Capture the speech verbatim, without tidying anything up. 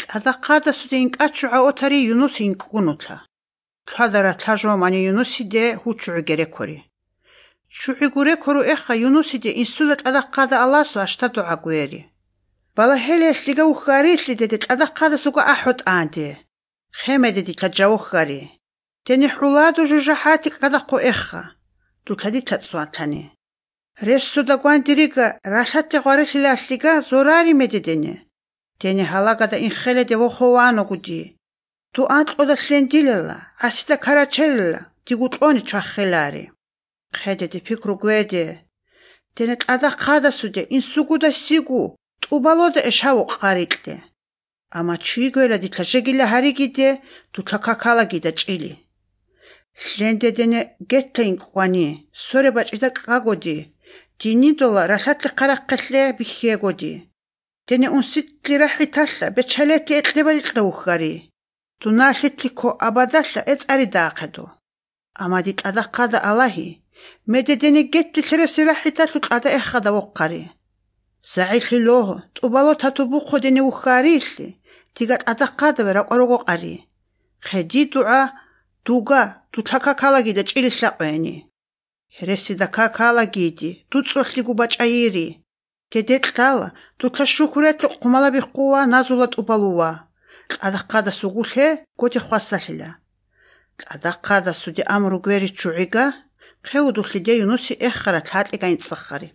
Тӏадахъадасуде инкӏачвгӏа отари Юнуси инкӏгунутла. Тладара тлажва мани Юнусиде ху чвгӏи герекори. Чвгӏи гурекору эхъа Юнусиде инсуда тӏадахъада аласу აშта дугӏа гвери. Балахеле лъига уххарилъи деде тӏадахъадасуга ахӏо тӏанде. Хемеде дитла джавоххари. Дене хӏуладу жужахӏати кӏкӏадахъу эхъа. Дутла дитла цӏуатлани. Рессуда гвандирига ралъати гъварилъила лъига зорари медедене. Дене халагада инхеледе вохованогуди. Ду анкъода лъендилела, асида карачелела, дигутӏони чваххелари. Хедеде пикру гведе. Дене тӏадахъадасуде инсугуда сигу тӏубалода эшаву къаритӏльде. Ама чвигвела дитла жегила харигиде дутла какалагида чӏили. Лъендедене гетта инкъвани, сореба чӏида кӏкӏагоди, динидола ралъатлы хъарахъелъе бихьегоди. Дене унситли рахӏиталъа бечалети этӏлебалитӏла уххари. Дуналъитлико абадалъа эцӏари даахъеду. Ама ди тӏадахъада алахи, медедене гетти лъереси рахӏиталъу тӏада эххада вохъари. Загӏилъи логьу, тӏубало татубухъо дене уххарилъи, дига тӏадахъадаве ракӏварого къари. Хъеди дугӏа дуга дутла какалагида чӏили лъакъвени. Хересида какалагиди, дуцӏолъигу бачӏайири. Дедетӏлала, дутла шукуретлу къумалаби хъуа назула тӏубалуа. Тӏадахъада сугулъе готи хвасалъила. Тӏадахъада суди амру гвери чвгӏига, хъеудулъиде Юнуси эххара тлатӏига инцӏаххари.